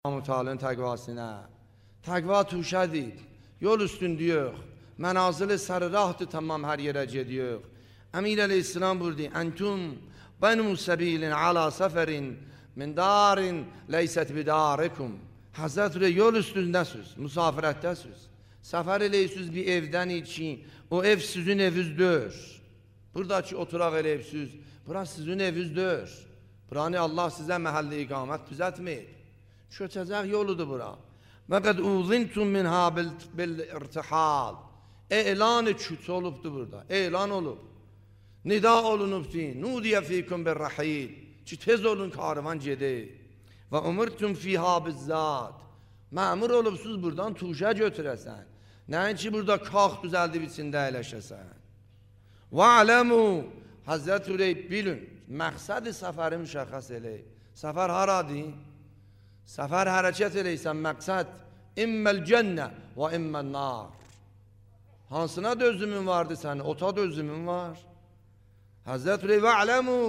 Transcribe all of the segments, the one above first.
Allah-u Teala'nın təqvasına. Təqva tuşədir, yol üstündür yox. Mənazili sərrahdır, tamam hər yerə gediyor. Əmir əleyhissalam buyurdu, Entum bənu səbilin ala səfərin min darin leysət bidarikum. Həzrət yol üstündəsiz, musafirətdəsiz. Səfər eləyirsiniz bir evdən için, o ev sizin evinizdir. Buradakı oturaq eləyibsiz, burası sizin evinizdir. Buranı Allah sizə məhəlli iqamət düzətməyib. Köçəcək yoludur bura. Və qəd uzintum minha bil-irtihal. Elan-ı küç olubdur burada, elan olub. Nida olunubdur, nudiyə fikum bir-rəhil. Ki tez olun karvan gedib. Və umurtum fiha bizzat. Məmur olubsuz buradan tuşa götürəsən. Nəinki burada kalx düzəldib içində əyləşəsən. Və aləmu, Həzrət Üreyb bilin, məqsəd-i səfəri müşəxəs eləyib. Səfər haradır? Səfər hərəkət eləysən, məqsəd imməl cənnə və imməl nar. Hansına dözümün vardı sənin? Ota dözümün var. Həzrət Üreyb və aləmu,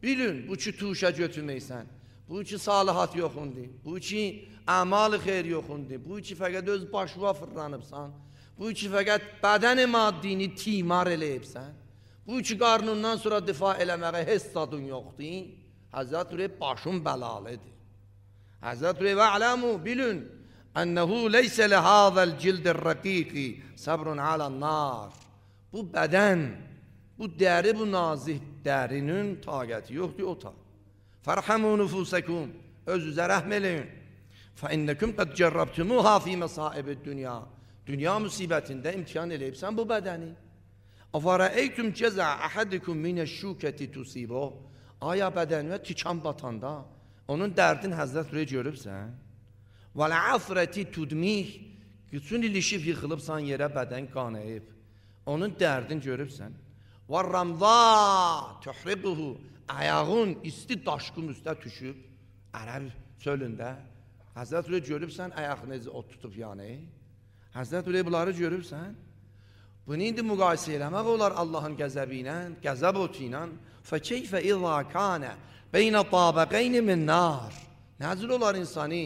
bilin, bu ki tuşa götürməksən. Bu ki salihat yoxundur. Bu ki əmal-ı xeyr yoxundur. Bu ki fəqət öz başına fırlanıbsan. Bu ki fəqət bədən-i maddini timar eləyibsən. Bu ki qarnından sonra difa eləməyə heç zadın yoxdur. Həzrət Üreyb başın bəlalıdır. Həzrət Üreyb və aləmu, bilin, ənəhu leysə ləhəzəl cildir rəqiqi səbrun alən nar. Bu bədən, bu dəri, bu nazih dərinin taqəti yoxdur o ta. Fərhəmu nüfusəkum, özünüzə rəhm eləyin. Fəinnəkum qəd cərrabtumuha fi məsaibid dünya. Dünya müsibətində imtihan eləyibsən bu bədəni. Əfərəeytum cəzə əhədikum minəşşukəti tusibo. Aya bədəninə tikan batanda, onun dərdin Həzrət Üreyb görübsən. Vəl-əfrəti tudmih, bütün ilişib yıxılıbsan yerə bədən qanayıb. Onun dərdin görübsən. Vəl-ramza tuhribuhu, ayağın isti daşqın üstə düşüb, ərəb çölündə. Həzrət Üreyb görübsən, ayağını ot tutub yani. Həzrət Üreyb bunları görübsən. Bunu indi müqayisə eləmək olar Allahın qəzəbi ilə, qəzəb otu ilə. Fəkeyfə izâ kânə beynə tabəqeyni min nar. Nəzir olar insanı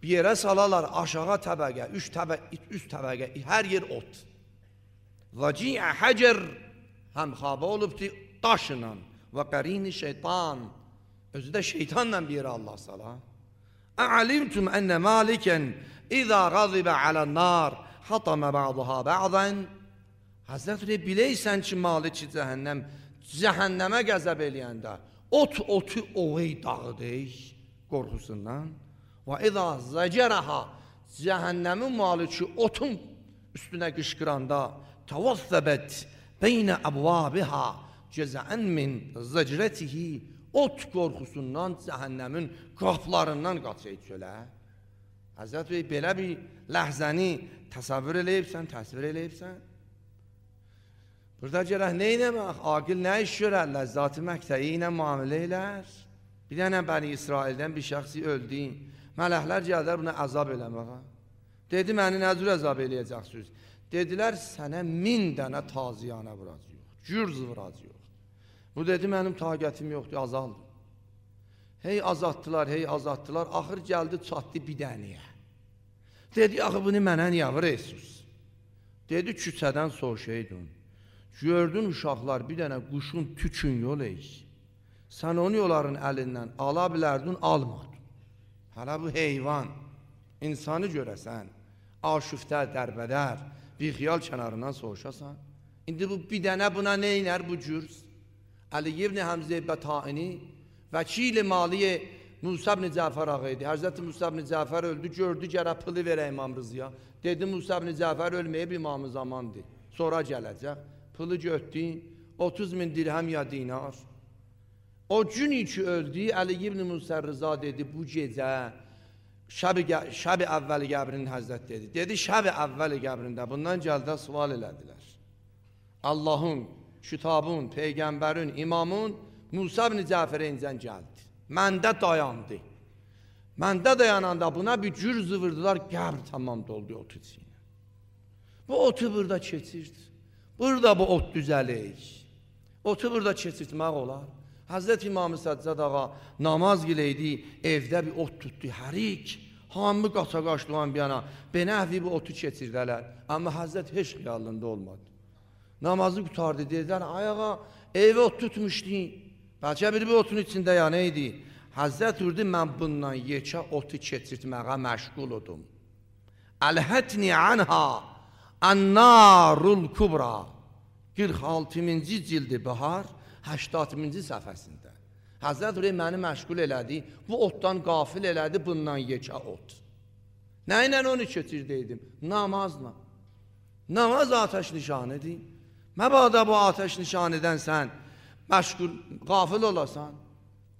bir yerə salarlar, aşağı təbəqə, üst təbəqə, hər yer ot. Vəciə həcər, həm xabə olubdur daşla və qərini şeytan. Özü də şeytanla bir yerə Allah sala. Ə'alimtum ənə malikən İzâ qazibə alən nar hatamə bə'duhə bə'dən. Həzrət Üreyb, biləysən ki, Maliki cəhənnəmə qəzəb eləyəndə otu ovey dağıdək qorxusundan. Və izâ zəcərəhə, cəhənnəmin Maliki otun üstünə qışqıranda təvassəbət beynə əbvabihə cəzəən min zəcrətihi, ot qorxusundan cəhənnəmin qaplarından qaçıydı çölə. Həzrət Üreyb, belə bir ləhzəni təsəvvür eləyibsən, təsvir eləyibsən. Burada gərək nə eləmək? Aqil nə iş görər? Ləzzat-ı məqtəyi ilə müamilə elər. Bir dənə Bəni İsraildən bir şəxsi öldü. Mələklər gəldilər buna əzab eləməyə. Dedi, məni nə cür əzab eləyəcəksiniz? Dedilər, sənə 1000 dənə taziyanə vuracaq, gürz vuracaq. Bu dedi, mənim taqətim yoxdur, azaldım. Hey azatdılar, axır gəldi, çatdı bir dənəyə. Dedi, axı bunu mənə niyə vurursunuz? Dedi, küçədən soruşaydın. Gördün uşaqlar bir dənə quşun tükün yol eyiş. Sən onu onların əlindən ala bilərdin, almadın. Hələ bu heyvan, insanı görəsən, aşüftə, dərbədər, bir xiyal kənarından soruşasan. İndi bu bir dənə buna neynər bu cürz? Əli ibn Həmzə Bətaini, vəkil-i maliyə Musa ibn Cəfər ağa idi. Həzrəti Musa ibn Cəfər öldü, gördü gərək pılı verə İmam Rızıya. Dedi, Musa ibn Cəfər ölməyib İmam-ı zamandır, sonra gələcək. Pılı götdü, 30.000 dirhəm ya dinar. O gün ki öldü, Əli ibn Musa Rıza dedi, bu gecə şəb-i əvvəli qəbrinin Həzrət dedi. Dedi, şəb-i əvvəli qəbrində. Bundan gəldə sual elədilər. Allahın, kitabın, peyğəmbərin, imamın Musa ibn Cəfərə incən gəldi. Məndə dayandı. Məndə dayananda buna bir cür zıvırdılar, qəbr tamam doldu otu içinə. Bu otu burada keçirdi. Burada bu ot düzəlik. Otu burada keçirtmək olar. Hazreti İmam Səccad ağa namaz gileydi, evdə bir ot tutdu, hərik. Hamı qaça-qaçlıqan bir yana, benəhvi bu otu keçirdələr. Amma Həzrət heç xiyalında olmadı. Namazı qutardı, dedilər, ayağa evə ot tutmuşdu. Bəlkə bir otun içində ya neydi? Həzrət vurdu, mən bundan yekə otu keçirtməyə məşğul oldum. Əlhətni anha ən-narul kubra. 46-cı cildi Bahar, 80-cı səhifəsində. Həzrət Rəy məni məşğul elədi, bu otdan qafil elədi, bundan yekə ot. Nə ilə onu keçirdiydim? Namazla. Namaz atəş nişanıdır. Məbada bu atəş nişanıdən sən məşğul, qafil olasan,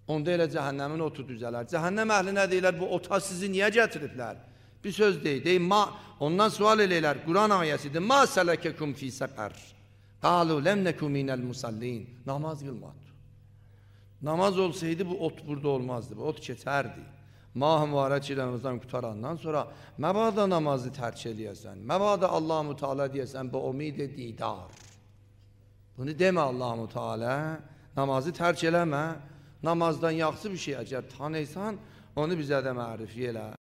onda elə cəhənnəmin otu düzələr. Cəhənnəm əhli nə deyirlər, bu ota sizi niyə gətiriblər? Bir söz deyil, ondan sual eləyirlər, Quran ayəsidir, ma sələkekum fi səqər. Qalu ləm nəku minəl musallin. Namaz qılmadı. Namaz olsaydı bu ot burada olmazdı, bu ot keçərdi. Mah-ı mübarək Ramazan qutarandan sonra məbada namazı tərk eləyəsən, məbada Allah-u Teala deyəsən, bu umid-i didar. Bunu demə Allah-u Teala, namazı tərk eləmə, namazdan yaxşı bir şey əgər tanıysan, onu bizə də mərif elə.